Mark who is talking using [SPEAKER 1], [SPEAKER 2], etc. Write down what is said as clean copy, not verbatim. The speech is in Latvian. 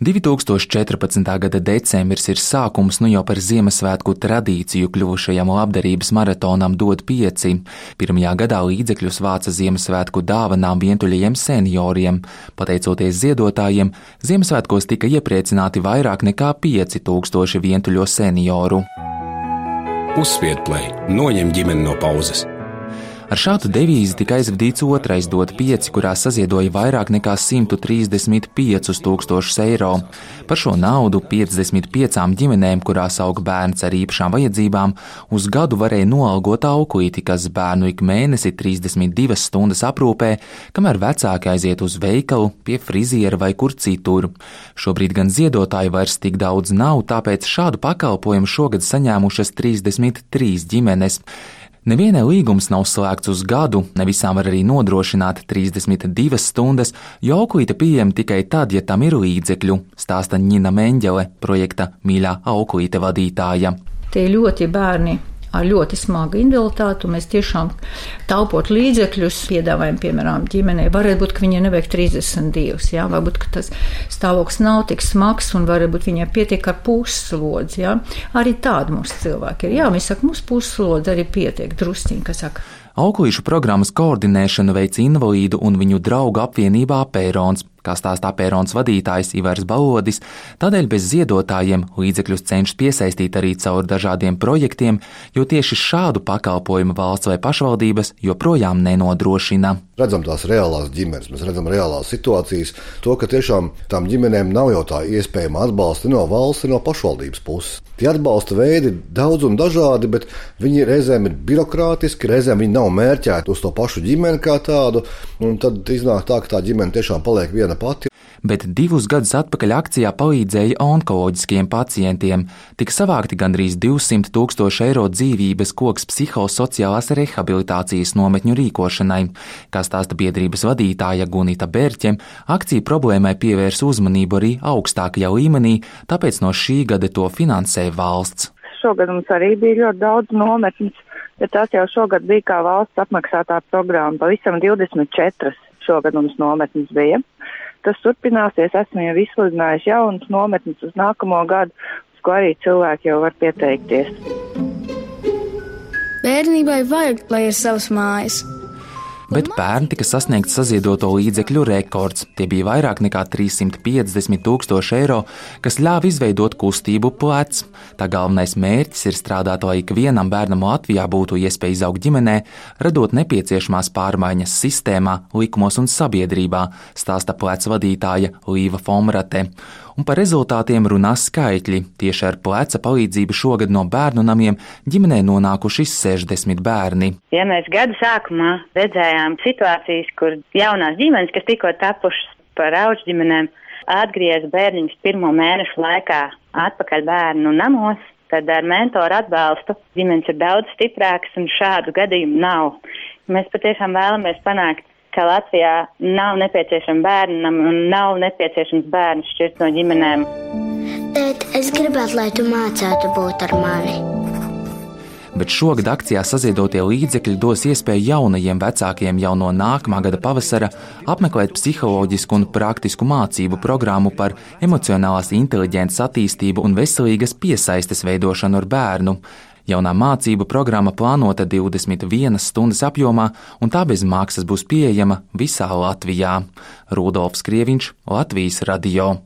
[SPEAKER 1] 2014. gada decembris ir sākums nu jau par Ziemassvētku tradīciju kļuvušajam labdarības maratonam Dod 5. Pirmajā gadā līdzekļus vāca Ziemassvētku dāvanām vientuļajiem senioriem. Pateicoties ziedotājiem, Ziemassvētkos tika iepriecināti vairāk nekā 5000 vientuļo senioru.
[SPEAKER 2] Uzspied play, noņem ģimeni no pauzes.
[SPEAKER 1] Ar šādu devīzi tika aizvadīts otrais Dod 5, kurā saziedoja vairāk nekā 135 000 eiro. Par šo naudu 55 ģimenēm, kurās aug bērns ar īpašām vajadzībām, uz gadu varēja noalgot auklīti, kas bērnu ik mēnesi 32 stundas aprūpē, kamēr vecāki aiziet uz veikalu, pie friziera vai kur citur. Šobrīd gan ziedotāju vairs tik daudz nav, tāpēc šādu pakalpojumu šogad saņēmušas 33 ģimenes. Nevienai līgums nav slēgts uz gadu, ne visām var arī nodrošināt 32 stundas, jo auklīte pieejama tikai tad, ja tam ir līdzekļu, stāsta Ņina Meņģele, projekta Mīļā auklīte vadītāja.
[SPEAKER 3] Tie ļoti bērni ar ļoti smagu invaliditāti, un mēs tiešām taupot līdzekļus piedāvājam, piemēram, ģimenei. Varētu būt, ka viņai nevajag 32, jā, varbūt, ka tas stāvoklis nav tik smags, un varbūt viņai pietiek ar puslodzi, jā. Arī tādi mums cilvēki ir. Jā, mēs saka, mums puslodzi arī pietiek, drusciņi, kas saka.
[SPEAKER 1] Auklīšu programmas koordinēšanu veic invalīdu un viņu draugu apvienībā Pērons, kā stāstā Pērons vadītājs Ivars Balodis, tādēļ bez ziedotājiem līdzekļus cenšas piesaistīt arī caur dažādiem projektiem, jo tieši šādu pakalpojumu valsts vai pašvaldības joprojām nenodrošina.
[SPEAKER 4] Redzam tās reālās ģimenes, mēs redzam reālās situācijas, to, ka tiešām tām ģimenēm nav jau tā iespējama atbalsta no valsts, no pašvaldības puses. Tie atbalsta veidi daudz un dažādi, bet viņi reizēm ir birokrātiski, reizēm viņi nav mērķēti uz to pašu ģimeni kā tādu, un tad iznāk tā, ka tā ģimene tiešām paliek viena pati.
[SPEAKER 1] Bet 2 gadus atpakaļ akcijā palīdzēja onkoloģiskiem pacientiem. Tika savākti gandrīz 200 000 eiro dzīvības koks psihosociālās rehabilitācijas nometņu rīkošanai. Kā stāsta biedrības vadītāja Gunita Berķe, akcija problēmai pievērs uzmanību arī augstākajā līmenī, tāpēc no šī gada to finansē valsts.
[SPEAKER 5] Šogad mums arī bija ļoti daudz nometnes, bet tās jau šogad bija kā valsts apmaksātā programma. Pavisam 24 šogad mums nometnes bija. Tas turpināsies, esmu jau izsludinājuši jaunas nometnes uz nākamo gadu, uz ko arī cilvēki jau var pieteikties.
[SPEAKER 6] Bērnībai vajag, lai ir savas mājas.
[SPEAKER 1] Bet pērn tika sasniegts saziedoto līdzekļu rekords. Tie bija vairāk nekā 350 000 eiro, kas ļāva izveidot kustību Plec. Tā galvenais mērķis ir strādāt, lai ikvienam bērnam Latvijā būtu iespēja izaugt ģimenē, radot nepieciešamās pārmaiņas sistēmā, likumos un sabiedrībā, stāsta Plec vadītāja Līva Fomrate. Un par rezultātiem runā skaitļi. Tieši ar Pleca palīdzību šogad no bērnu namiem ģimenē nonākuši 60 bērni.
[SPEAKER 7] Ja mēs gada sākumā redzējām situācijas, kur jaunās ģimenes, kas tikko tapušas par auģu ģimenēm, atgriez bērniņus 1. mēnešu laikā atpakaļ bērnu namos, tad ar mentoru atbalstu ģimenes ir daudz stiprākas un šādu gadījumu nav. Mēs patiešām vēlamies panākt, ka Latvijā nav nepieciešama bērnam un nav nepieciešams bērnu šķirt no ģimenēm.
[SPEAKER 6] Tēt, es gribētu, lai tu mācētu būt ar mani.
[SPEAKER 1] Bet šogad akcijā saziedotie līdzekļi dos iespēju jaunajiem vecākiem jau no nākamā gada pavasara apmeklēt psiholoģisku un praktisku mācību programmu par emocionālās inteliģences attīstību un veselīgas piesaistes veidošanu ar bērnu. Jaunā mācību programma plānota 21 stundas apjomā, un tā bez maksas būs pieejama visā Latvijā. Rudolfs Krieviņš, Latvijas radio.